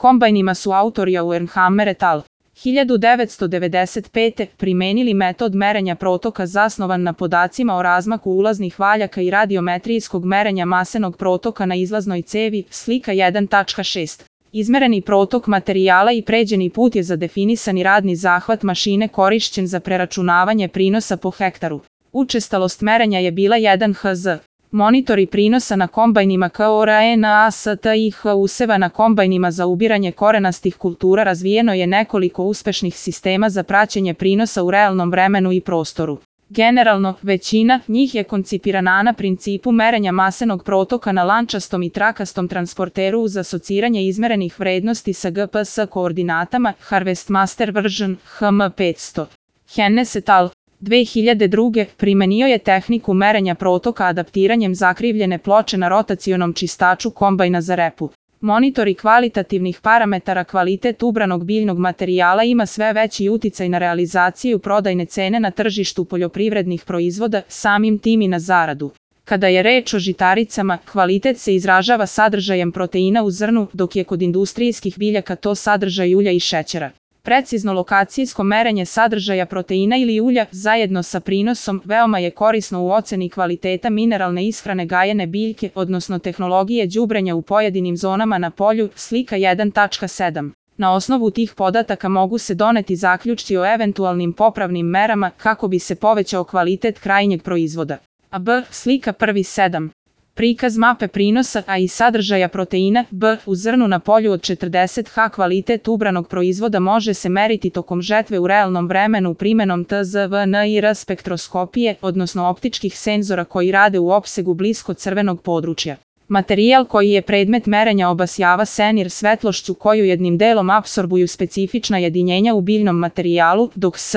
kombajnima su autori Auernhammer et al. 1995. primenili metod merenja protoka zasnovan na podacima o razmaku ulaznih valjaka i radiometrijskog merenja masenog protoka na izlaznoj cevi, slika 1.6. Izmereni protok materijala i pređeni put je za definisani radni zahvat mašine korišćen za preračunavanje prinosa po hektaru. Učestalost merenja je bila 1 Hz. Monitori prinosa na kombajnima KORANASTIH useva na kombajnima za ubiranje korenastih kultura razvijeno je nekoliko uspešnih sistema za praćenje prinosa u realnom vremenu i prostoru. Generalno, većina njih je koncipirana na principu merenja masenog protoka na lančastom i trakastom transporteru uz asociranje izmerenih vrednosti sa GPS koordinatama Harvest Master Version HM500. Hennes et al. 2002. primenio je tehniku merenja protoka adaptiranjem zakrivljene ploče na rotacionom čistaču kombajna za repu. Monitori kvalitativnih parametara kvalitet ubranog biljnog materijala ima sve veći uticaj na realizaciju prodajne cene na tržištu poljoprivrednih proizvoda, samim tim i na zaradu. Kada je reč o žitaricama, kvalitet se izražava sadržajem proteina u zrnu, dok je kod industrijskih biljaka to sadržaj ulja i šećera. Precizno lokacijsko merenje sadržaja proteina ili ulja, zajedno sa prinosom, veoma je korisno u oceni kvaliteta mineralne ishrane gajene biljke, odnosno tehnologije đubrenja u pojedinim zonama na polju, slika 1.7. Na osnovu tih podataka mogu se doneti zaključci o eventualnim popravnim merama kako bi se povećao kvalitet krajnjeg proizvoda. B. Slika 1.7. Prikaz mape prinosa, a i sadržaja proteina B u zrnu na polju od 40 H. Kvalitet ubranog proizvoda može se meriti tokom žetve u realnom vremenu primenom TZVNIR spektroskopije, odnosno optičkih senzora koji rade u opsegu blisko crvenog područja. Materijal koji je predmet merenja obasjava se NIR svetlošću koju jednim delom apsorbuju specifična jedinjenja u biljnom materijalu, dok S